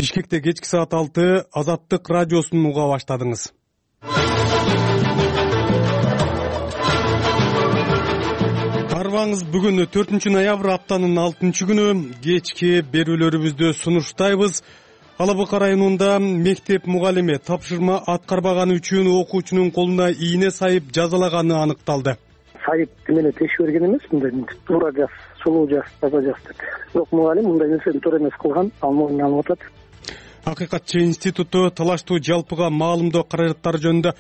Бишкекте кечки саат 6 Азаттык радиосун уга баштадыңыз. Карыбаңыз, бүгүн 4-ноябрь аптанын 6-күнү кечки берүүлөрүбүздө сунуштайбыз. Алабыка районунда мектеп мугалими тапшырма аткарбаганы үчүн окуучунун колуна ийне сайып жазалаганы аныкталды. Сайып менен тешип берген эмес, мындай туура жаз, сулуу жаз, таза жаз деп. Бирок мугалим мындай нерсени туура эмес кылган, ал мойнуна алып атат. Акыйкатчы институту талаштуу жалпыга маалымдоо каражаттары жөнүндө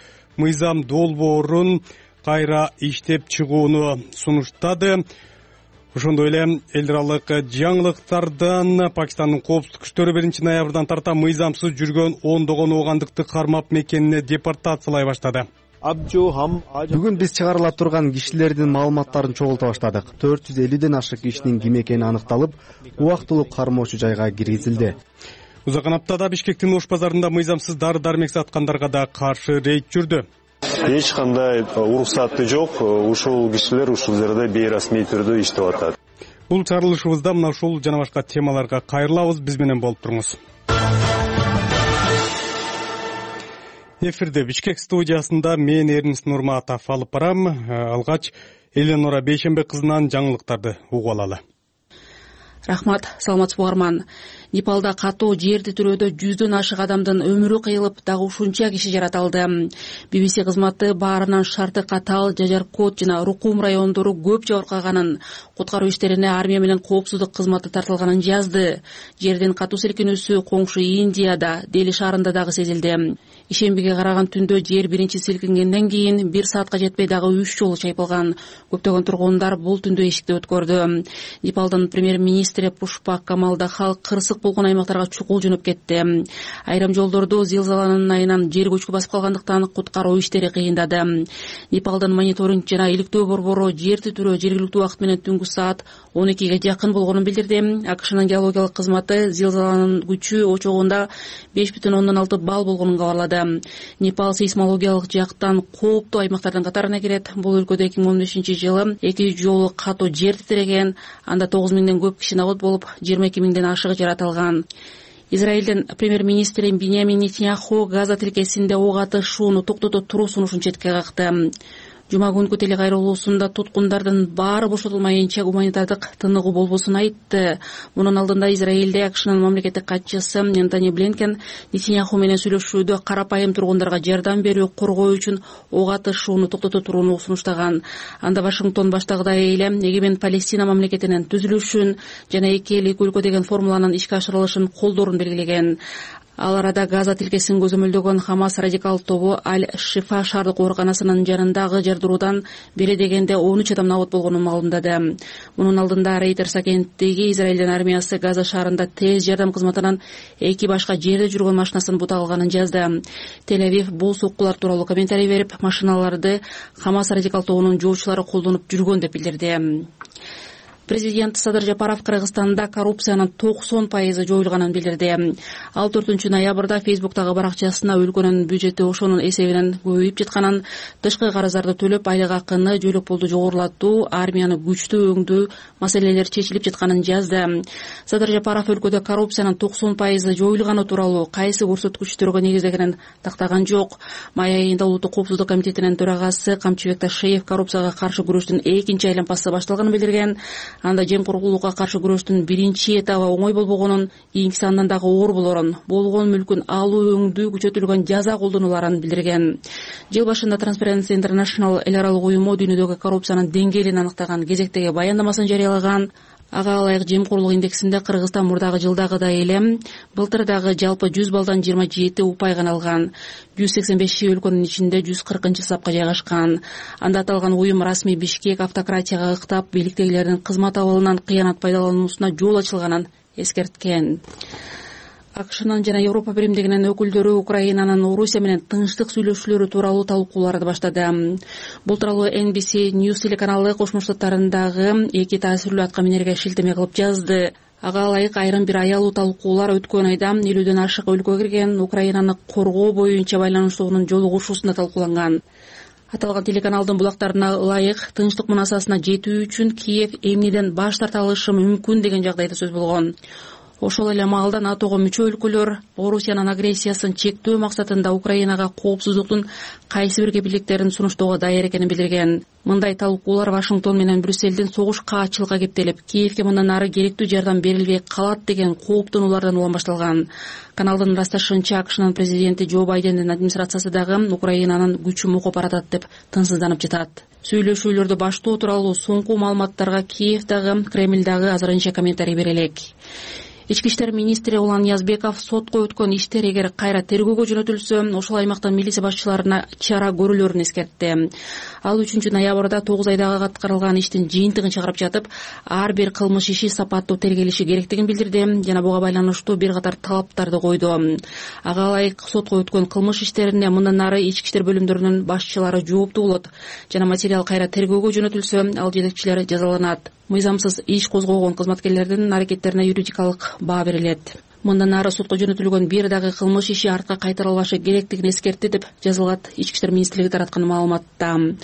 мыйзам долбоорун кайра иштеп чыгууну сунуштады. Ошондой эле эл аралык жаңылыктардан Пакистандын коопсуздук күчтөрү 1-ноябрдан тарта мыйзамсыз жүргөн ондогон оогандыкты кармап мекенине депортациялай баштады. Бүгүн биз чыгарыла турган кишилердин маалыматтарын чогулта баштадык. 450ден ашык кишинин ким экени аныкталып, убактылуу кармоочу жайга киргизилди. Узакан аптада Бишкектин Ош базарында мыйзамсыз дары-дармек саткандарга да каршы рейд жүрдү. Эч кандай уруксаты жок. Ушул кишилер ушул жерде бейрасмий түрдө иштеп атат. Бул чыгарылышыбызда мына ушул жана башка темаларга кайрылабыз. Биз менен болуп туруңуз. Эфирде Бишкек студиясында мен Эрнис Нурматов алып барам. Алгач Эленора Бейшембек кызынан жаңылыктарды угуп алалы. Рахмат, саламатсызбы угарман. Непалда катуу жерди түрөдө 100дөн ашык адамдын өмүрү кыйылып, дагы ушунча киши жаратылды. BBC кызматы баарынан шарты катаал Жажаркот жана Рукум райондору көп жабыркаганын, куткаруу иштерине армия менен коопсуздук кызматы тартылганын жазды. Жердин катуу силкинүүсү коңшу Индияда, Дели шаарында дагы сезилди. Ишембиге караган түндө жер биринчи силкингенден кийин 1 саатка жетпей дагы 3 жолу чайпалган. Көптөгөн тургундар бул түндү эшикте өткөрдү. Непалдын премьер-министри Пушпак Камал Дахал кырсык болгон аймактарга чукул жөнөп кетти. Айрым жолдорду зилзаланын айынан жер көчкү басып калгандыктан куткаруу иштери кыйындады. Непалдын мониторинг жана иликтөө борбору жер титирөө жергиликтүү убакыт менен түнгү саат 12ге жакын болгонун билдирди. АКШнын геологиялык кызматы зилзаланын күчү очогунда 5,6 балл болгонун кабарлады. Непал сейсмологиялык жактан кооптуу аймактардын катарына кирет. Бул өлкөдө 2015-жылы 2 жолу катуу жер титиреген, анда 9,000ден көп киши набат болуп, 22,000ден ашыгы жаратылган. Израилдин премьер-министри Биньямин Нетаньяху Газа тилкесинде ок атышууну токтото туруу сунушун четке какты. Жума күнкү телекайрылуусунда туткундардын баары бошотулмайынча гуманитардык тыныгуу болбосун айтты. Мунун алдында Израилде АКШнын мамлекеттик катчысы Энтони Блинкен Нетаньяху менен сүйлөшүүдө карапайым тургундарга жардам берүү, коргоо үчүн ок атышууну токтото турууну сунуштаган. Анда Вашингтон баштагыдай эле эгемен Палестина мамлекетинин түзүлүшүн жана эки эл эки өлкө деген формуланын ишке ашырылышын колдоорун белгилеген. Ал арада Газа тилкесин көзөмөлдөгөн Хамас радикал тобу Аль-Шифа шаардык ооруканасынын жанындагы жардыруудан бери дегенде 13 адам набат болгонун маалымдады. Мунун алдында Рейтерс агенттиги Израилдин армиясы Газа шаарында тез жардам кызматынан 2 башка жерде жүргөн машинасын бута алганын жазды. Тель-Авив бул соккулар тууралуу комментарий берип, машиналарды Хамас радикал тобунун жоочулары колдонуп жүргөн деп билдирди. Президент Садыр Жапаров Кыргызстанда коррупциянын 90% жоюлганын билдирди. Ал 4-ноябрда Facebook'тагы баракчасына өлкөнүн бюджети ошонун эсебинен көбөйүп жатканын, тышкы карыздарды төлөп айлык акыны, жөлөк пулду жогорулатуу, армияны күчтүү өңдүү маселелер чечилип жатканын жазды. Садыр Жапаров өлкөдө коррупциянын 90% жоюлганы тууралуу кайсы көрсөткүчтөргө негиздегенин тактаган жок. Май айында Улуттук коопсуздук комитетинин төрагасы Камчыбек Ташиев коррупцияга каршы күрөштүн экинчи айланпасы башталганын билдирген. Анда жемкорлукка каршы күрөштүн биринчи этабы оңой болбогонун, кийинкиси андан дагы оор болорун, болгон мүлкүн алуу, өңдүү, күчөтүлгөн жаза колдонуларын билдирген. Жыл башында Transparency International эл аралык уюму дүйнөдөгү коррупциянын деңгээлин аныктаган кезектеги баяндамасын жарыялаган. Ага ылайык жемкорлук индексинде Кыргызстан мурдагы жылдагыдай эле былтыр дагы жалпы 100 балдан 27 упай гана алган. 185 өлкөнүн ичинде 140-сапка жайгашкан. Анда аталган уюм расмий Бишкек автократияга ыктап, бийликтегилердин кызмат абалынан кыянат пайдалануусуна жол ачылганын эскерткен. АКШнын жана Европа биримдигинин өкүлдөрү Украинанын Орусия менен тынчтык сүйлөшүүлөрү тууралуу талкууларды баштады. Бул тууралуу NBC News телеканалы Кошмо Штаттарындагы эки таасирлүү аткаминерге шилтеме кылып жазды. Ага ылайык айрым бир аялуу талкуулар өткөн айда 50дөн ашык өлкөгө кирген Украинаны коргоо боюнча байланыштуунун жолугушуусунда талкууланган. Аталган телеканалдын булактарына ылайык тынчтык мунасасына жетүү үчүн Киев эмнеден баш тарта алышы мүмкүн деген жагдайда сөз болгон. Ошол эле маалда НАТОго мүчө өлкөлөр Орусиянын агрессиясын чектөө максатында Украинага коопсуздуктун кайсы бир кепилдиктерин сунуштоого даяр экенин билдирген. Мындай талкуулар Вашингтон менен Брюссельдин согуш каатчылыкка кептелип, Киевге мындан ары керектүү жардам берилбей калат деген кооптонуулардан улам башталган. Каналдын ырасташынча, АКШнын президенти Джо Байдендин администрациясы дагы Украинанын күчү мукуп баратат деп тынчсызданып жатат. Сүйлөшүүлөрдү баштоо тууралуу соңку маалыматтарга Киев дагы, Кремль дагы азырынча комментарий бере элек. Ички иштер министри Улан Язбеков сотко өткөн иштер эгер кайра тергөөгө жөнөтүлсө, ошол аймактын милиция башчыларына чара көрүүлөрүн эскертти. Ал 3 ноябрда 9 айдагы аткарылган иштин жыйынтыгын чыгарып жатып, ар бир кылмыш иши сапаттуу тергелиши керектигин билдирди жана буга байланыштуу бир катар талаптарды койду. Ага ылайык сотко өткөн кылмыш иштерине мындан ары ички иштер бөлүмдөрүнүн башчылары жооптуу болот жана материал кайра тергөөгө жөнөтүлсө, ал жетекчилери жазаланат. Мыйзамсыз иш козгогон кызматкерлердин аракеттерине юридикалык баа берилет. Мындан ары сотко жөнөтүлгөн бир дагы кылмыш иши артка кайтарылбашы керектигин эскертти деп жазылат Ички иштер министрлиги тараткан маалыматта.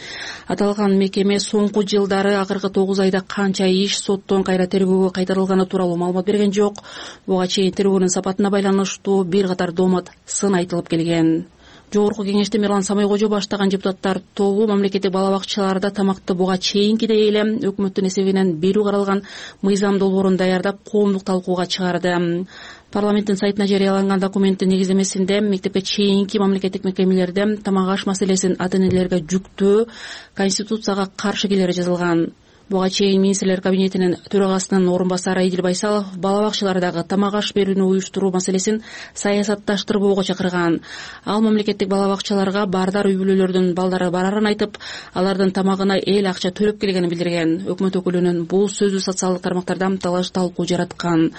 Аталган мекеме соңку жылдары акыркы 9 айда канча иш соттон кайра тергөөгө кайтарылганы тууралуу маалымат берген жок. Буга чейин тергөөнүн сапатына байланыштуу бир катар доомат сын айтылып келген. Жогорку кеңеште Мирлан Самайкожо баштаган депутаттар тобу мамлекеттик бала бакчаларда тамакты буга чейинкидей эле өкмөттүн эсебинен берүү каралган мыйзам долбоорун даярдап коомдук талкууга чыгарды. Парламенттин сайтына жарыяланган документтин негиздемесинде мектепке чейинки мамлекеттик мекемелерде тамак аш маселесин ата-энелерге жүктөө Конституцияга каршы келери жазылган. Буга чейин министрлер кабинетинин төрагасынын орун басары Идил Байсалов бала бакчалардагы тамак аш берүүнү уюштуруу маселесин саясатташтырбоого чакырган. Ал мамлекеттик бала бакчаларга бардар үй бүлөлөрдүн балдары барарын айтып, алардын тамагына эл акча төлөп келгенин билдирген. Өкмөт өкүлүнүн бул сөзү социалдык тармактарда талаш талкуу жараткан.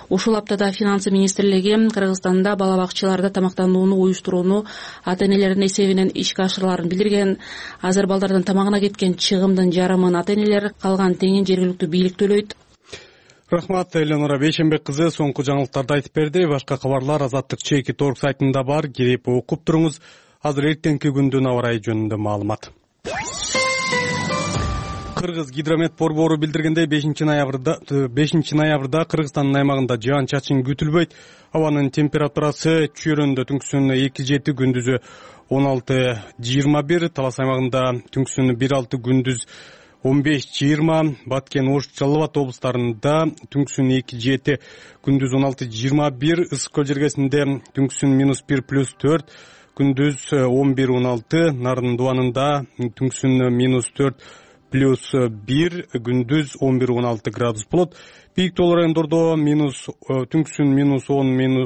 Ушул аптада Финансы министрлиги Кыргызстанда бала бакчаларда тамактанууну уюштурууну ата-энелердин эсебинен ишке ашырыларын билдирген. Азыр балдардын тамагына кеткен чыгымдын жарымын ата-энелер, калган теңин жергиликтүү бийлик төлөйт. Рахмат, Эленора Бейшенбек кызы соңку жаңылыктарды айтып берди. Башка кабарлар Азаттык Чеки.org сайтында бар, кирип окуп туруңуз. Азыр эртеңки күндүн аба ырайы жөнүндө маалымат. Кыргыз гидромет борбору билдиргендей 5 ноябрда Кыргызстандын аймагында жаан-чачын күтүлбөйт. Абанын температурасы чүйрөндө түнкүсүн 2-7, күндүзү 16-21, Талас аймагында түнкүсүн 1-6, күндүз 15-20, Баткен, Ош, Жалал Абад облустарында түнкүсүн 2-7, күндүз 16-21, Ысык көл жергесинде түнкүсүн -1 + 4, күндүз 11-16, Нарын дубанында түнкүсүн -4 + 1, күндүз 11-16 градус болот. Бийик тоолуу райондордо түнкүсүн -10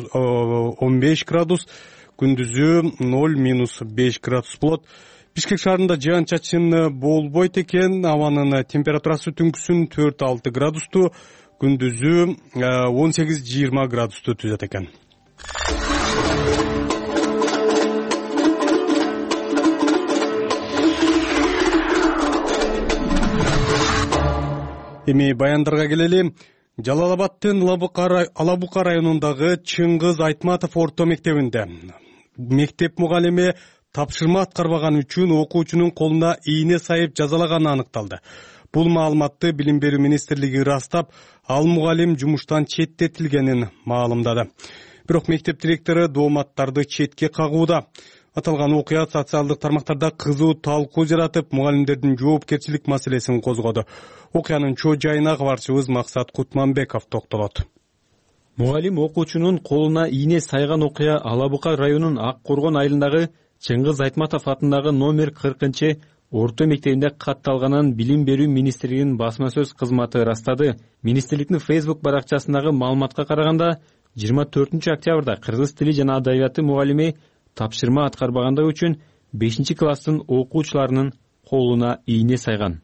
- 15 градус, күндүзү 0 - 5 градус болот. Бишкек шаарында жаан-чачын болбойт экен. Абанын температурасы түнкүсүн 4-6 градусту, күндүзү 18-20 градусту түзөт экен. Эми баяндарга келели. Жалал Абадтын Алабука районундагы Чыңгыз Айтматов орто мектебинде мектеп мугалими тапшырма аткарбаган үчүн окуучунун колуна ийне сайып жазалаганы аныкталды. Бул маалыматты Билим берүү министрлиги ырастап, ал мугалим жумуштан четтетилгенин маалымдады. Бирок мектеп директору дооматтарды четке кагууда. Аталган окуя социалдык тармактарда кызуу талкуу жаратып, мугалимдердин жоопкерчилик маселесин козгоду. Окуянын чоо жайына кабарчыбыз Максат Кутманбеков токтолот. Мугалим окуучунун колуна ийне сайган окуя Алабука районунун Ак Коргон айылындагы Чыңгыз Айтматов атындагы номер 40 орто мектебинде катталганын Билим берүү министрлигинин басма сөз кызматы ырастады. Министрликтин Facebook баракчасындагы маалыматка караганда, 24 октябрда кыргыз тили жана адабияты мугалими тапшырма аткарбагандыгы үчүн 5-класстын окуучуларынын колуна ийне сайган.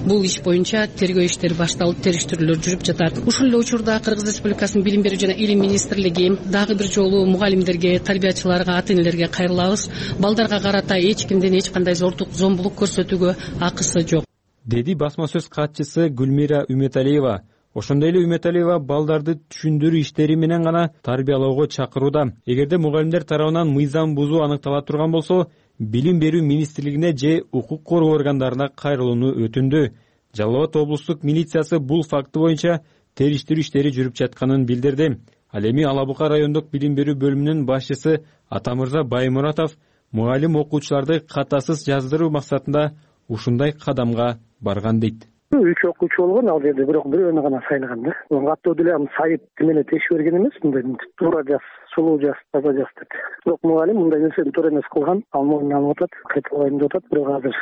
Бул иш боюнча тергөө иштери башталып, териштирүүлөр жүрүп жатат. Ушул эле учурда Кыргыз Республикасынын Билим берүү жана илим министрлиги дагы бир жолу мугалимдерге, тарбиячыларга, ата-энелерге кайрылабыз. Балдарга карата эч кимден эч кандай зомбулук көрсөтүүгө акысы жок, деди басма сөз катчысы Гүлмира Үмөталиева. Ошондой эле Үмөталиева балдарды түшүндүрүү иштери менен гана тарбиялоого чакырууда. Эгерде мугалимдер тарабынан мыйзам бузуу аныктала турган болсо, Билим берүү министрлигине же укук коргоо органдарына кайрылууну өтүндү. Жалал Абад облустук милициясы бул факты боюнча териштирүү иштери жүрүп жатканын билдирди. Ал эми Ала Бука райондук билим берүү бөлүмүнүн башчысы Атамырза Баймуратов мугалим окуучуларды катасыз жаздыруу максатында ушундай кадамга барган дейт. 3 окуучу болгон ал жерде, бирок бирөөнү гана сайлаган да. Каттуу деле сайып менен тешип берген эмес, мындай туура жаз, сулуу жаз, таза жаз деп. Бирок мугалим мындай нерсени туура эмес кылган, ал мойнуна алып атат, кайталбайм деп атат. Бирок азыр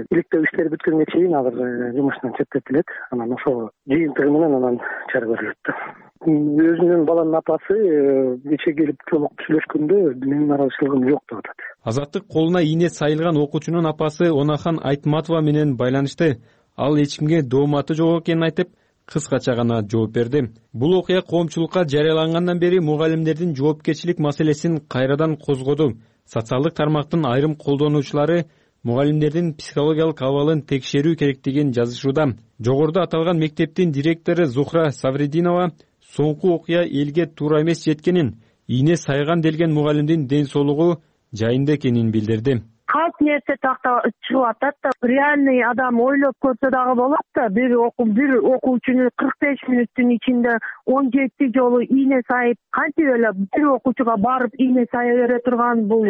иликтөө иштери бүткөнгө чейин азыр жумуштан четтетилет. Анан ошол жыйынтыгы менен анан чара көрүлөт да. Өзүнүн баланын апасы кече келип толук сүйлөшкөндө менин наразычылыгым жок деп атат. Азаттык колуна ийне сайылган окуучунун апасы Онахан Айтматова менен байланышты. Ал эч кимге дооматы жок экенин айтып, кыскача гана жооп берди. Бул окуя коомчулукка жарыялангандан бери мугалимдердин жоопкерчилик маселесин кайрадан козгоду. Социалдык тармактын айрым колдонуучулары мугалимдердин психологиялык абалын текшерүү керектигин жазышууда. Жогоруда аталган мектептин директору Зухра Саврединова соңку окуя элге туура эмес жеткенин, ийне сайган делген мугалимдин ден соолугу жайында экенин билдирди. Калп нерсе такта чыгып атат да, реальный адам ойлоп көрсө дагы болот да, бир окуучуну 45 мүнөттүн ичинде 17 жолу ийне сайып, кантип эле бир окуучуга барып ийне сая бере турган, бул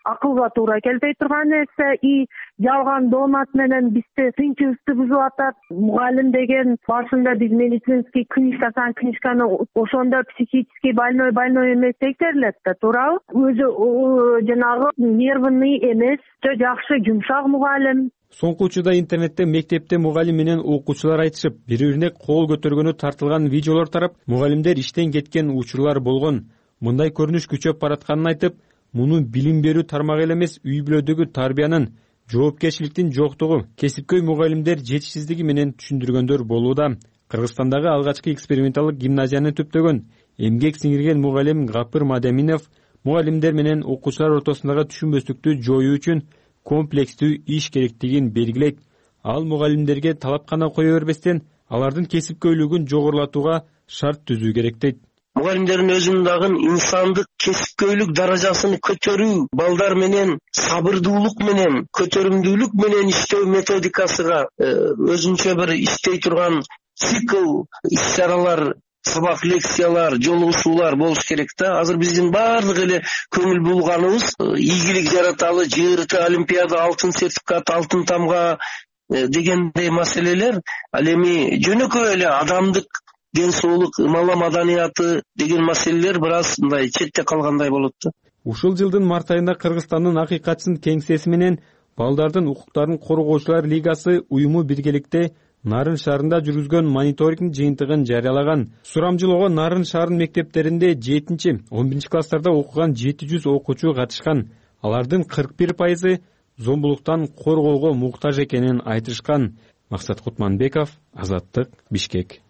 акылга туура келбей турган нерсе. И жалган доомат менен бизди тынчыбызды бузуп атат. Мугалим деген башында биз медицинский книжканы ошондо психический больной эмес текшерилет да, туурабы? Өзү жанагы нервный эмес, жакшы жумшак мугалим. Соңку учурда интернетте мектепте мугалим менен окуучулар айтышып, бири-бирине кол көтөргөнү тартылган видеолор тарап, мугалимдер иштен кеткен учурлар болгон. Мындай көрүнүш күчөп баратканын айтып, муну билим берүү тармагы эле эмес, үй бүлөдөгү тарбиянын, жоопкерчиликтин жоктугу, кесипкөй мугалимдер жетишсиздиги менен түшүндүргөндөр болууда. Кыргызстандагы алгачкы эксперименталдык гимназияны түптөгөн, эмгек сиңирген мугалим Гапыр Мадаминов мугалимдер менен окуучулар ортосундагы түшүнбөстүктү жоюу үчүн комплекстүү иш керектигин белгилейт. Ал мугалимдерге талап гана кое бербестен, алардын кесипкөйлүгүн жогорулатууга шарт түзүү керек дейт. Мугалимдердин өзүнүн дагы инсандык кесипкөйлүк даражасын көтөрүү, балдар менен сабырдуулук менен, көтөрүмдүүлүк менен иштөө методикасыга өзүнчө бир иштей турган цикл иш-чаралар, сабак лекциялар, жолугушуулар болуш керек да. Азыр биздин баардык эле көңүл булганыбыз ийгилик жараталы, ЖРТ олимпиада, алтын сертификат, алтын тамга дегендей маселелер ал эми жөнөкөй эле адамдык ден соолук, мала маданияты деген маселелер бир аз мындай четте калгандай болот да. Ушул жылдын март айында Кыргызстандын Акыйкатчын кеңсеси менен балдардын укуктарын коргоочулар лигасы уюму биргеликте Нарын шаарында жүргүзгөн мониторинг жыйынтыгын жарыялаган. Сурамжылоого Нарын шаарынын мектептеринде 7-11 класстарда окуган 700 окуучу катышкан. Алардын 41% зомбулуктан коргоого муктаж экенин айтышкан. Максат Кутманбеков, Азаттык, Бишкек.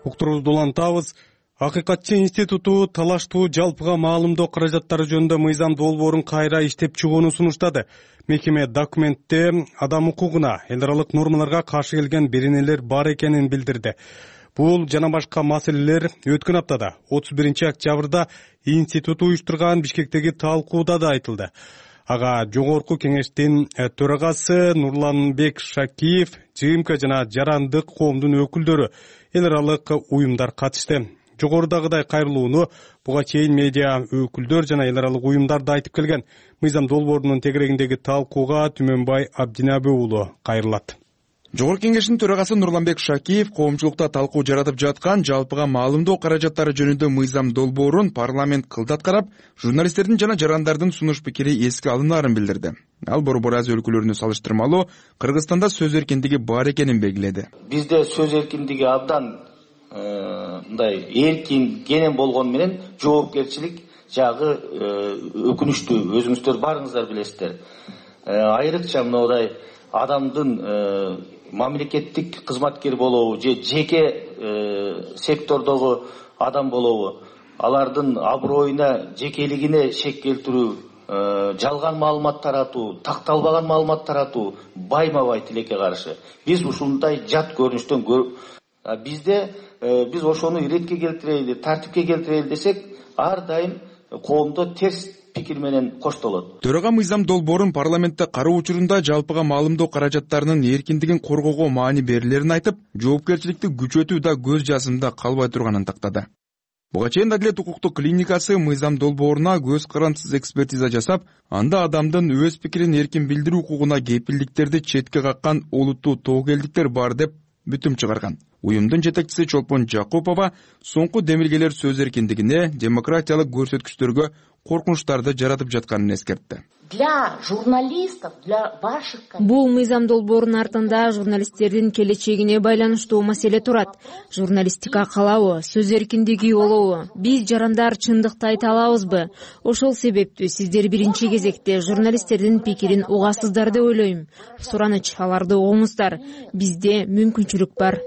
Уктурубузду улантабыз. Акыйкатчы институту талаштуу жалпыга маалымдоо каражаттары жөнүндө мыйзам долбоорун кайра иштеп чыгууну сунуштады. Мекеме документте адам укугуна, эл аралык нормаларга каршы келген беренелер бар экенин билдирди. Бул жана башка маселелер өткөн аптада 31-октябрда институт уюштурган Бишкектеги талкууда да айтылды. Ага жогорку кеңештин төрагасы Нурланбек Шакиев, ЖМК жана жарандык коомдун өкүлдөрү, эл аралык уюмдар катышты. Жогорудагыдай кайрылууну буга чейин медиа өкүлдөр жана эл аралык уюмдар да айтып келген. Мыйзам долбоорунун тегерегиндеги талкууга Түмөнбай Абдинабы уулу кайрылат. Жогорку кеңештин төрагасы Нурланбек Шакиев коомчулукта талкуу жаратып жаткан жалпыга маалымдоо каражаттары жөнүндө мыйзам долбоорун парламент кылдат карап, журналисттердин жана жарандардын сунуш пикири эске алынаарын билдирди. Ал Борбор Азия өлкөлөрүнө салыштырмалуу Кыргызстанда сөз эркиндиги бар экенин белгиледи. Бизде сөз эркиндиги абдан мындай эркин кенен болгон менен жоопкерчилик жагы өкүнүчтүү, өзүңүздөр барыңыздар билесиздер. Айрыкча мындай адамдын мамлекеттик кызматкер болобу же жеке сектордогу адам болобу, алардын аброюна, жекелигине шек келтирүү, жалган маалымат таратуу, такталбаган маалымат таратуу байма-бай тилекке каршы. Биз ушундай жат көрүнүштөн бизде биз ошону иретке келтирели, тартипке келтирели десек, ар дайым коомдо терс пикир менен коштолот. Төрага Мыйзам Долбоорун парламентте кароо учурунда жалпыга маалымдоо каражаттарынын эркиндигин коргоого маани берилерин айтып, жоопкерчиликти күчөтүү да көз жазымда калбай турганын тактады. Буга чейин Адилет укуктук клиникасы Мыйзам Долбооруна көз карандысыз экспертиза жасап, анда адамдын өз пикирин эркин билдирүү укугуна кепилдиктерди четке каккан олуттуу тобокелдиктер бар деп бүтүм чыгарган. Уюмдун жетекчиси Чолпон Жакупова соңку демилгелер сөз эркиндигине, демократиялык көрсөткүчтөргө коркунучтарды жаратып жатканын эскертти. Для журналистов, для ваших... Бул Мыйзам Долбоорунун артында журналисттердин келечегине байланыштуу маселе турат. Журналистика калабы, сөз эркиндиги болобу? Биз жарандар чындыкты айта алабызбы? Ошол себептүү сиздер биринчи кезекте журналисттердин пикирин угасыздар деп ойлойм. Сураныч, аларды угуңуздар. Бизде мүмкүнчүлүк бар.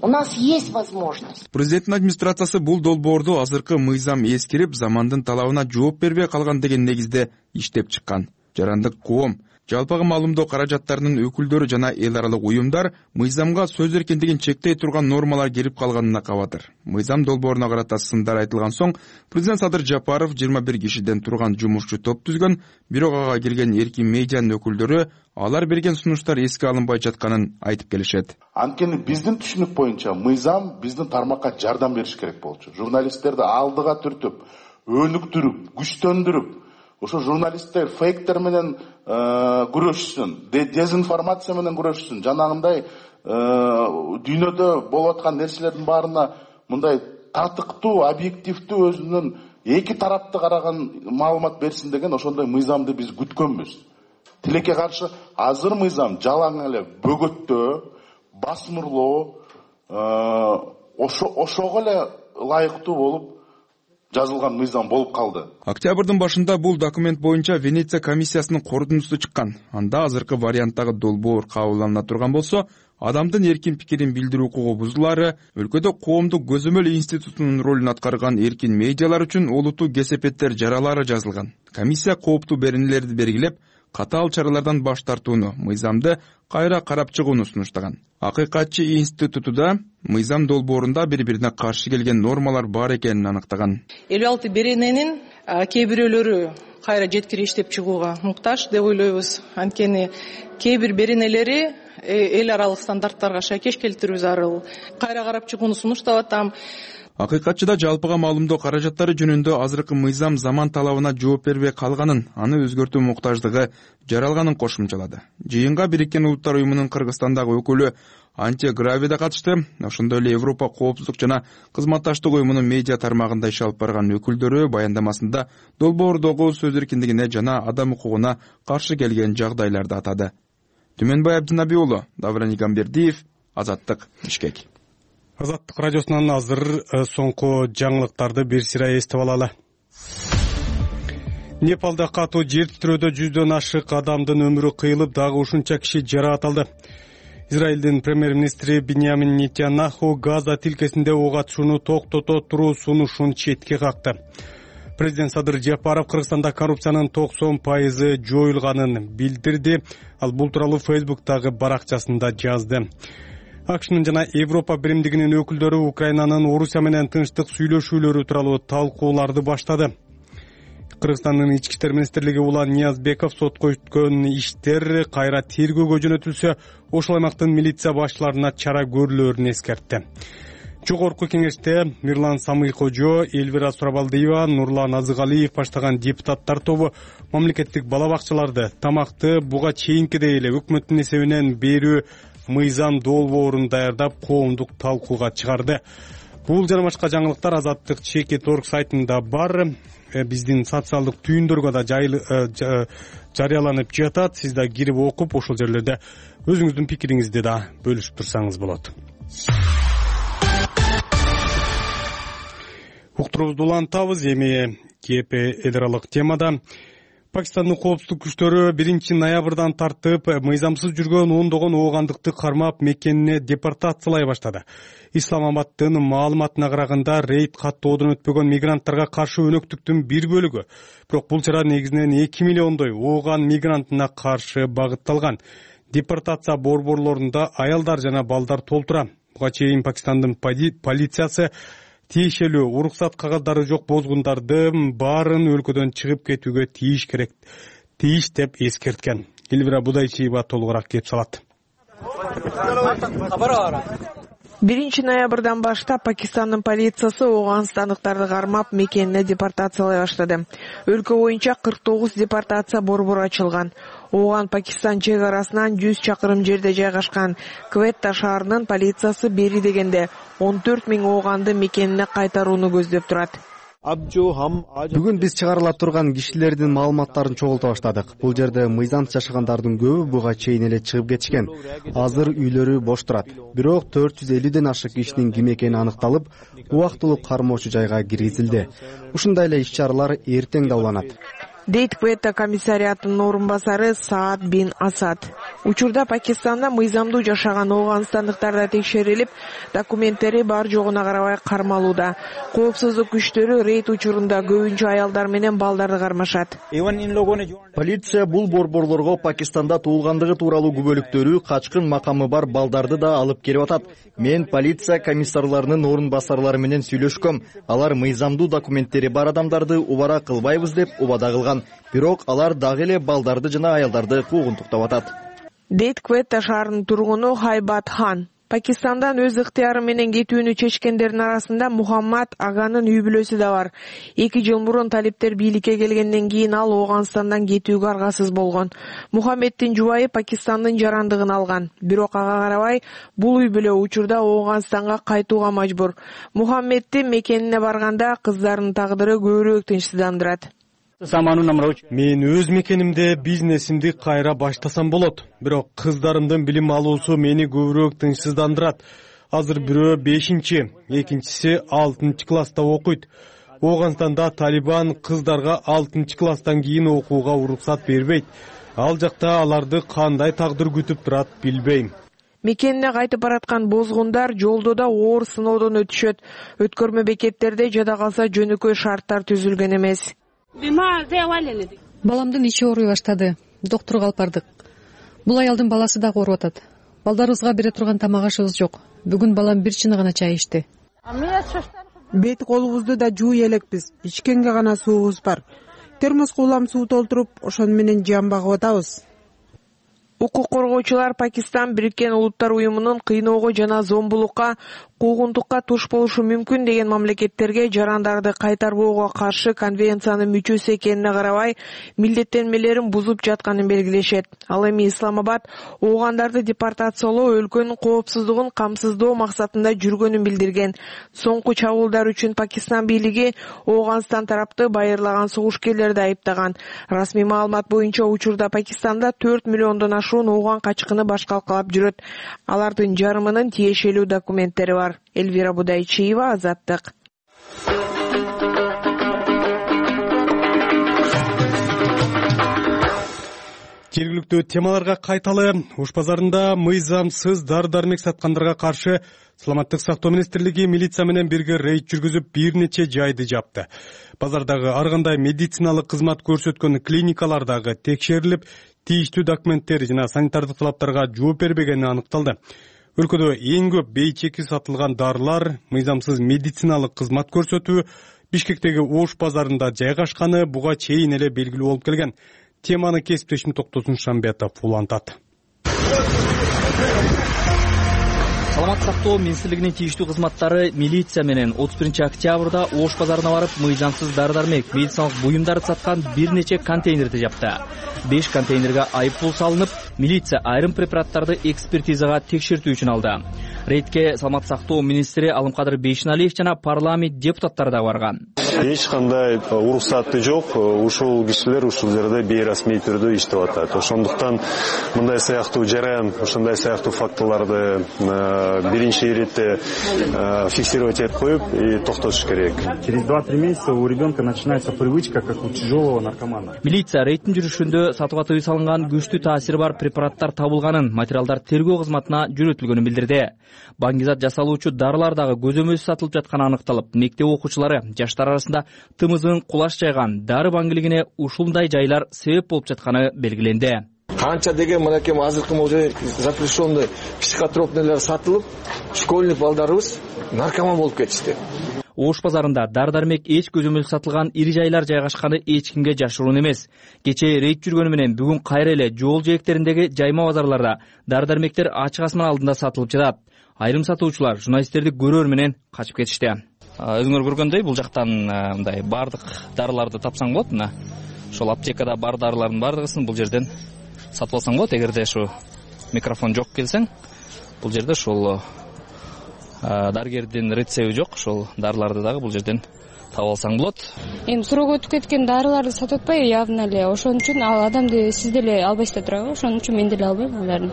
У нас есть возможность. Президенттин администрациясы бул долбоорду азыркы мыйзам эскирип, замандын талабына жооп бербей калган деген негизде иштеп чыккан. Жарандык коом, жалпыга маалымдоо каражаттарынын өкүлдөрү жана эл аралык уюмдар мыйзамга сөз эркиндигин чектей турган нормалар кирип калганына кабатыр. Мыйзам долбооруна карата сындар айтылган соң, президент Садыр Жапаров 21 кишиден турган жумушчу топ түзгөн, бирок ага кирген эркин медианын өкүлдөрү алар берген сунуштар эске алынбай жатканын айтып келишет. Анткени биздин түшүнүк боюнча мыйзам биздин тармакка жардам бериш керек болчу. Журналисттерди алдыга түртүп, өнүктүрүп, күчтөндүрүп, ошо журналисттер фейктер менен күрөшсүн, дезинформация менен күрөшсүн. Жанагындай дүйнөдө болуп аткан нерселердин баарына мындай татыктуу, объективдүү өзүнүн эки тарапты караган маалымат берсин деген ошондой мыйзамды биз күткөнбүз. Тилекке каршы азыр мыйзам жалаң эле бөгөттөө, басмырлоо, ошого эле ылайыктуу болуп жазылган мыйзам болуп калды. Октябрдын башында бул документ боюнча Венеция комиссиясынын корутундусу чыккан. Анда азыркы варианттагы долбоор кабылдана турган болсо, адамдын эркин пикирин билдирүү укугу бузулары, өлкөдө коомдук көзөмөл институтунун ролун аткарган эркин медиалар үчүн олуттуу кесепеттер жаралары жазылган. Комиссия кооптуу беренелерди белгилеп, катаал чаралардан баш тартууну, мыйзамды кайра карап чыгууну сунуштаган. Акыйкатчы институтуда мыйзам долбоорунда бири-бирине каршы келген нормалар бар экенин аныктаган. 56 берененин кээ бирөөлөрү кайра жеткире иштеп чыгууга муктаж деп ойлойбуз. Анткени кээ бир беренелери эл аралык стандарттарга шайкеш келтирүү зарыл. Кайра карап чыгууну сунуштап атам. Акыйкатчыда жалпыга маалымдоо каражаттары жөнүндө азыркы мыйзам заман талабына жооп бербей калганын, аны өзгөртүү муктаждыгы жаралганын кошумчалады. Жыйынга Бириккен Улуттар уюмунун Кыргызстандагы өкүлү Анте Грави да катышты. Ошондой эле Европа коопсуздук жана кызматташтык уюмунун медиа тармагында иш алып барган өкүлдөрү баяндамасында долбоордогу сөз эркиндигине жана адам укугуна каршы келген жагдайларды атады. Түмөнбай Абдынаби уулу, Давран Игамбердиев, Азаттык, Бишкек. Азаттык радиосунан азыр соңку жаңылыктарды бир сыйра эстеп алалы. Непалда катуу жер титирөөдө 100дөн ашык адамдын өмүрү кыйылып, дагы ушунча киши жаракаталды. Израилдин премьер-министри Биньямин Нетаньяху Газа тилкесинде ок атышууну токтото туруу сунушун четке какты. Президент Садыр Жапаров Кыргызстанда коррупциянын 90% жоюлганын билдирди. Ал бул тууралуу Facebook'тагы баракчасында жазды. АКШнын жана Европа биримдигинин өкүлдөрү Украинанын Орусия менен тынчтык сүйлөшүүлөрү тууралуу талкууларды баштады. Кыргызстандын ички иштер министрлиги Улан Ниязбеков сотко өткөн иштер кайра тергөөгө жөнөтүлсө, ошол аймактын милиция башчыларына чара көрүлөрүн эскертти. Жогорку кеңеште Мирлан Самыйкожо, Элвира Сурабалдиева, Нурлан Азыгалиев баштаган депутаттар тобу мамлекеттик бала бакчаларды тамакты буга чейинкидей эле өкмөттүн эсебинен берүү мыйзам долбоорун даярдап коомдук талкууга чыгарды. Бул жана башка жаңылыктар Азаттык Чекит.org сайтында бар. Биздин социалдык түйүндөргө да жарыяланып жатат. Сиз да кирип окуп, ошол жерлерде өзүңүздүн пикириңизди да бөлүшүп турсаңыз болот. Уктуруубузду улантабыз. Эми КП эл аралык темада Пакистандын коопсуздук күчтөрү 1 ноябрдан тартып мыйзамсыз жүргөн ондогон оогандыкты кармап мекенине депортациялай баштады. Исламабадтын маалыматына караганда рейд каттоодон өтпөгөн мигранттарга каршы өнөктүктүн бир бөлүгү. Бирок бул чара негизинен 2 миллиондой ооган мигрантына каршы багытталган. Депортация борборлорунда аялдар жана балдар толтура. Буга чейин Пакистандын полициясы тиешелүү уруксат кагаздары жок бозгундардын баарын өлкөдөн чыгып кетүүгө тийиш деп эскерткен. Элвира Будайчиева толугураак кеп салат. 1-ноябрдан баштап Пакистандын полициясы ооганстандыктарды кармап мекенине депортациялай баштады. Өлкө боюнча 49 депортация борбору ачылган. Ооган Пакистан чек арасынан 100 чакырым жерде жайгашкан Кветта шаарынын полициясы бери дегенде 14 000 ооганды мекенине кайтарууну көздөп турат. Бүгүн биз чыгарыла турган кишилердин маалыматтарын чогулта баштадык. Бул жерде мыйзамсыз жашагандардын көбү буга чейин эле чыгып кетишкен. Азыр үйлөрү бош турат. Бирок 450ден ашык кишинин ким экени аныкталып, убактылуу кармоочу жайга киргизилди. Ушундай эле иш-чаралар эртең да уланат, дейт Кветта комиссариатынын орун басары Саад бин Асад. Учурда Пакистанда мыйзамдуу жашаган ооганстандыктар да текшерилип, документтери бар жогуна карабай кармалууда. Коопсуздук күчтөрү рейд учурунда көбүнчө аялдар менен балдарды кармашат. Полиция бул борборлорго Пакистанда туулгандыгы тууралуу күбөлүктөрү, качкын макамы бар балдарды да алып келип атат. Мен полиция комиссарларынын орун басарлары менен сүйлөшкөм. Алар мыйзамдуу документтери бар адамдарды убара кылбайбыз деп убада кылган. Бирок алар дагы эле балдарды жана аялдарды куугунтуктап атат, дейт Кветта шаарынын тургуну Хайбат Хан. Пакистандан өз ыктыяры менен кетүүнү чечкендердин арасында Мухаммад Аганын үй бүлөсү да бар. 2 жыл мурун талиптер бийликке келгенден кийин ал Ооганстандан кетүүгө аргасыз болгон. Мухаммеддин жубайы Пакистандын жарандыгын алган. Бирок ага карабай бул үй бүлө учурда Ооганстанга кайтууга мажбур. Мухаммеддин мекенине барганда кыздарынын тагдыры көбүрөөк тынчсыздандырат. Мен өз мекенимде бизнесимди кайра баштасам болот. Бирок кыздарымдын билим алуусу мени көбүрөөк тынчсыздандырат. Азыр бирөө 5-чи, экинчиси 6-чы класста окуйт. Ооганстанда Талибан кыздарга 6-чы класстан кийин окууга уруксат бербейт. Ал жакта аларды кандай тагдыр күтүп турат билбейм. Мекенине кайтып бараткан бозгундар жолдо да оор сыноодон өтүшөт. Өткөрмө бекеттерде жада калса жөнөкөй шарттар түзүлгөн эмес. Баламдын ичи ооруй баштады. Доктурга алып бардык. Бул аялдын баласы дагы ооруп атат. Балдарыбызга бере турган тамак ашыбыз жок. Бүгүн балам 1 чыны гана чай ичти. Бет колубузду да жууй элекпиз. Ичкенге гана суубуз бар. Термоска улам суу толтуруп, ошону менен жан багып атабыз. Укук коргоочулар Пакистан Бириккен Улуттар уюмунун кыйноого жана зомбулукка, куугунтукка туш болушу мүмкүн деген мамлекеттерге жарандарды кайтарбоого каршы конвенциянын мүчөсү экенине карабай, милдеттенмелерин бузуп жатканын белгилешет. Ал эми Исламабад оогандарды депортациялоо өлкөнүн коопсуздугун камсыздоо максатында жүргөнүн билдирген. Соңку чабуулдар үчүн Пакистан бийлиги Ооганстан тарапты байырлаган согушкерлерди айыптаган. Расмий маалымат боюнча учурда Пакистанда 4 миллиондон ашуун ооган качкыны баш калкалап жүрөт. Алардын жарымынын тиешелүү документтери бар. Элвира Будайчиева, Азаттык. Жергиликтүү темаларга кайталы. Ош базарында мыйзамсыз дары-дармек саткандарга каршы Саламаттык сактоо министрлиги милиция менен бирге рейд жүргүзүп бир нече жайды жапты. Базардагы ар кандай медициналык кызмат көрсөткөн клиникалар дагы текшерилип, тийиштүү документтер жана санитардык талаптарга жооп бербегени аныкталды. Өлкөдө эң көп бейчеки сатылган дарылар, мыйзамсыз медициналык кызмат көрсөтүү Бишкектеги Ош базарында жайгашканы буга чейин эле белгилүү болуп келген. Теманы кесиптешим Токтосун Шамбетов улантат. Саламаттык сактоо министрлигинин тийиштүү кызматтары милиция менен 31 октябрда Ош базарына барып мыйзамсыз дары-дармек, медициналык буюмдарды саткан бир нече контейнерди жапты. 5 контейнерге айыппул салынып, милиция айрым препараттарды экспертизага текшертүү үчүн алды. Рейдке Саламаттык сактоо министри Алымкадыр Бейшеналиев жана парламент депутаттары да барган. Эч кандай уруксаты жок, ушул кишилер ушул жерде бейрасмий түрдө иштеп атат. Ошондуктан мындай сыяктуу жаран, ошондой сыяктуу фактыларды биринчи иретте фиксировать этип коюп и токтотуш керек. Через 2-3 месяца у ребенка начинается привычка, как у тяжелого наркомана. Милиция рейдтин жүрүшүндө сатууга тыюу салынган күчтүү таасири бар препараттар табылганын, материалдар тергөө кызматына жөнөтүлгөнүн билдирди. Баңгизат жасалуучу дарылар дагы көзөмөлсүз сатылып жатканы аныкталып, мектеп окуучулары жаштар арасында тымызын кулаш жайган дары баңгилигине ушундай жайлар себеп болуп жатканы белгиленди. Канча деген мынакей азыркы уже запрещенный психотропныйлар сатылып, школьник балдарыбыз наркоман болуп кетишти. Ош базарында дары-дармек эч көзөмөл сатылган ири жайлар жайгашканы эч кимге жашыруун эмес. Кечээ рейд жүргөнү менен бүгүн кайра эле жол жээктериндеги жайма базарларда дары-дармектер ачык асман алдында сатылып жатат. Айрым сатуучулар журналисттерди көрөр менен качып кетишти. Өзүңөр көргөндөй бул жактан мындай бардык дарыларды тапсаң болот. Мына ошол аптекада бар дарылардын бардыгысын бул жерден сатып алсаң болот. Эгерде ушу микрофон жок келсең, бул жерде ушул дарыгердин рецеби жок, ошол дарыларды дагы бул жерден таап алсаң болот. Эми срок өтүп кеткен дарыларды сатып атпайбы явно эле. Ошон үчүн ал адамды сиз деле албайсыздар турабы? Ошон үчүн мен деле албайм аларды.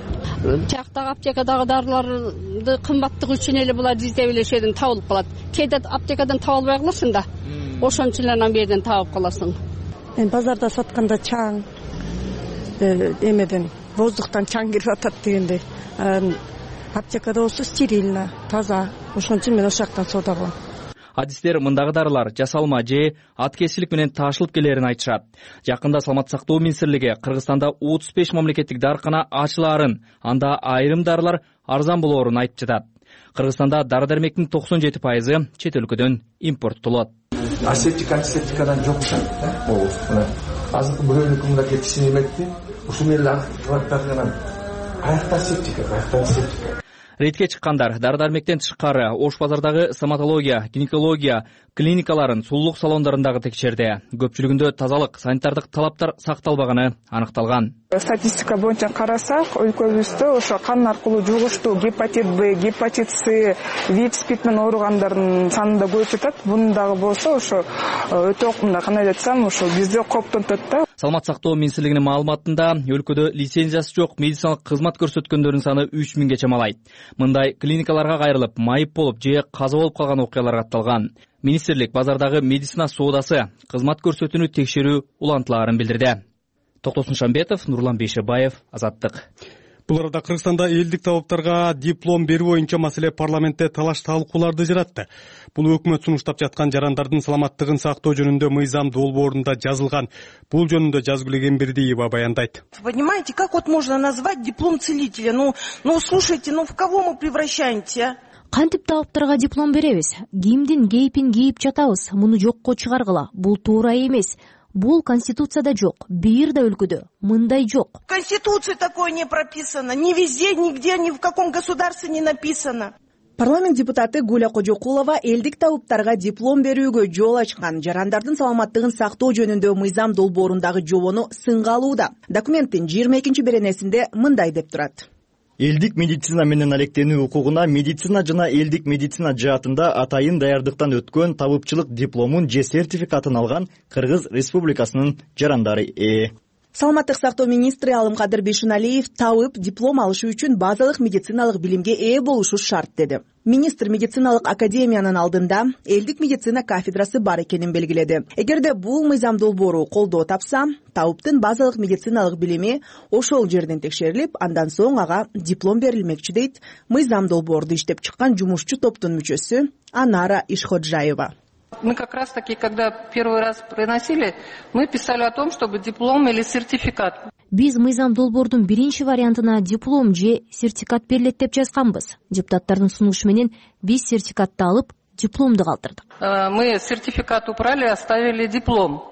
Тияктагы аптекадагы дарыларды кымбаттыгы үчүн эле булар издеп эле ошол табылып калат. Кээде аптекадан таба албай каласың да. Ошон үчүн эле анан берден табып каласың. Мен базарда сатканда чаң эмеден воздухтан чаң кирип атат дегендей. Аптекада болсо стерильно, таза. Ошон үчүн мен ошол жактан соода кылам. Адистер мындагы дарылар жасалма же аткезчилик менен таашылып келерин айтышат. Жакында Саламаттык сактоо министрлиги Кыргызстанда 35 мамлекеттик дарыкана ачылаарын, анда айрым дарылар арзан болоорун айтып жатат. Кыргызстанда дары-дармектин 97% чет өлкөдөн импорттолот. Асептик антисептикадан жок да. Мына азыркы бирөөнүн мында кетишин эметти. Ушул эле антибиотиктардан каякта септика, каякта септика. Рейдке чыккандар дары-дармектен тышкары Ош базардагы стоматология, гинекология клиникаларын, сулуулук салондорун текшерди. Көпчүлүгүндө тазалык, санитардык талаптар сакталбаганы аныкталган. Статистика боюнча карасак, өлкөбүздө ошо кан аркылуу жугуштуу гепатит Б, гепатит С, ВИЧ-СПИД менен ооругандардын санында көбөйүп жатат. Буну дагы болсо ошо өтө кандай айтсам, ошо бизде коптонтот да. Саламаттык сактоо министрлигинин маалыматында өлкөдө лицензиясы жок медициналык кызмат көрсөткөндөрдүн саны 3000 чамалайт. Мындай клиникаларга кайрылып, майып болуп же каза болуп калган окуялар катталган. Министрлик базардагы медицина соодасы, кызмат көрсөтүүнү текшерүү улантылаарын билдирди. Токтосун Шамбетов, Нурлан Бейшебаев, Азаттык. Бул арада Кыргызстанда элдик талаптарга диплом берүү боюнча маселе парламентте талаш талкууларды жаратты. Бул өкмөт сунуштап жаткан жарандардын саламаттыгын сактоо жөнүндө мыйзам долбоорунда жазылган. Бул жөнүндө Жазгүл Эгембердиева баяндайт. Понимаете, как вот можно назвать диплом целителя? Ну слушайте, в кого мы превращаемся? Кантип талаптарга диплом беребиз? Кимдин кейпин кийип жатабыз? Муну жокко чыгаргыла. Бул туура эмес. Бул Конституцияда жок. Бир да өлкөдө мындай жок. В Конституции такое не прописано. Ни везде, нигде, ни в каком государстве не написано. Парламент депутаты Гуля Кожокулова элдик табыптарга диплом берүүгө жол ачкан жарандардын саламаттыгын сактоо жөнүндө мыйзам долбоорундагы жобону сынга алууда. Документтин 22 беренесинде мындай деп турат. Элдик медицина менен алектенүү укугуна медицина жана элдик медицина жаатында атайын даярдыктан өткөн табыпчылык дипломун же сертификатын алган Кыргыз Республикасынын жарандары ээ. Саламаттык сактоо министри Алымкадыр Бейшеналиев табып диплом алышы үчүн базалык медициналык билимге ээ болушу шарт деди. Министр медициналык академиянын алдында элдик медицина кафедрасы бар экенин белгиледи. Эгерде бул мыйзам долбоору колдоо тапса, табыптын базалык медициналык билими ошол жерден текшерилип, андан соң ага диплом берилмекчи дейт мыйзам долбоорду иштеп чыккан жумушчу топтун мүчөсү Анара Ишходжаева. Мы как раз таки, когда первый раз приносили, мы писали о том, чтобы диплом или сертификат. Биз мыйзам долбоордун биринчи вариантына диплом же сертификат берилет деп жазганбыз. Депутаттардын сунушу менен биз сертификатты алып, дипломду калтырдык. Мы сертификат убрали, оставили диплом.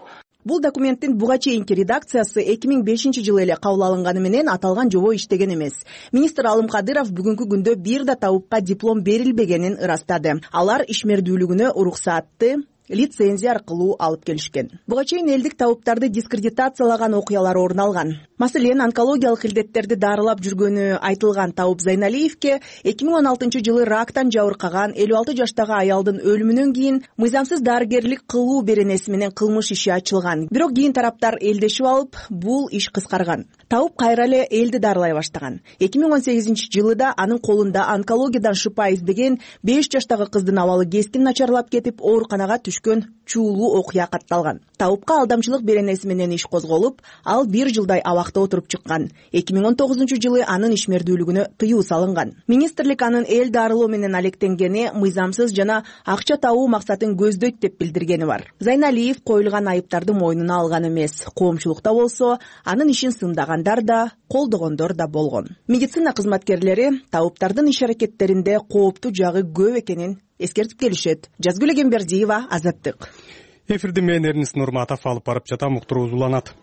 Бул документтин буга чейинки редакциясы 2005-жылы эле кабыл алынганы менен аталган жобо иштеген эмес. Министр Алымкадыров бүгүнкү күндө бир да табыпка диплом берилбегенин ырастады. Алар ишмердүүлүгүнө уруксаатты лицензия аркылуу алып келишкен. Буга чейин элдик табыптарды дискредитациялаган окуялар орун алган. Маселен, онкологиялык илдеттерди дарылап жүргөнү айтылган Табып Зайналиевке 2016-жылы рактан жабыркаган 56 жаштагы аялдын өлүмүнөн кийин мыйзамсыз дарыгерлик кылуу беренеси менен кылмыш иши ачылган. Бирок кийин тараптар элдешип алып, бул иш кыскарган. Табып кайра эле элди дарылай баштаган. 2018-жылы да анын колунда онкологиядан шыпа издеген 5 жаштагы кыздын абалы кескин начарлап кетип, ооруканага түшкөн чуулуу окуя катталган. Табыпка алдамчылык беренеси менен иш козголуп, ал 1 жылдай абакта отуруп чыккан. 2019-жылы анын ишмердүүлүгүнө тыюу салынган. Министрлик анын эл дарылоо менен алектенгени мыйзамсыз жана акча табуу максатын көздөйт деп билдиргени бар. Зайналиев коюлган айыптарды мойнуна алган эмес. Коомчулукта болсо, анын ишин сындагандар да, колдогондор да болгон. Медицина кызматкерлери табыптардын иш аракеттеринде кооптуу жагы көп экенин эскертип келишет. Жазгүл Эгембердиева, Азаттык. Эфирди мен Эрнис Нурматов алып барып жатам, уктуруубуз уланат.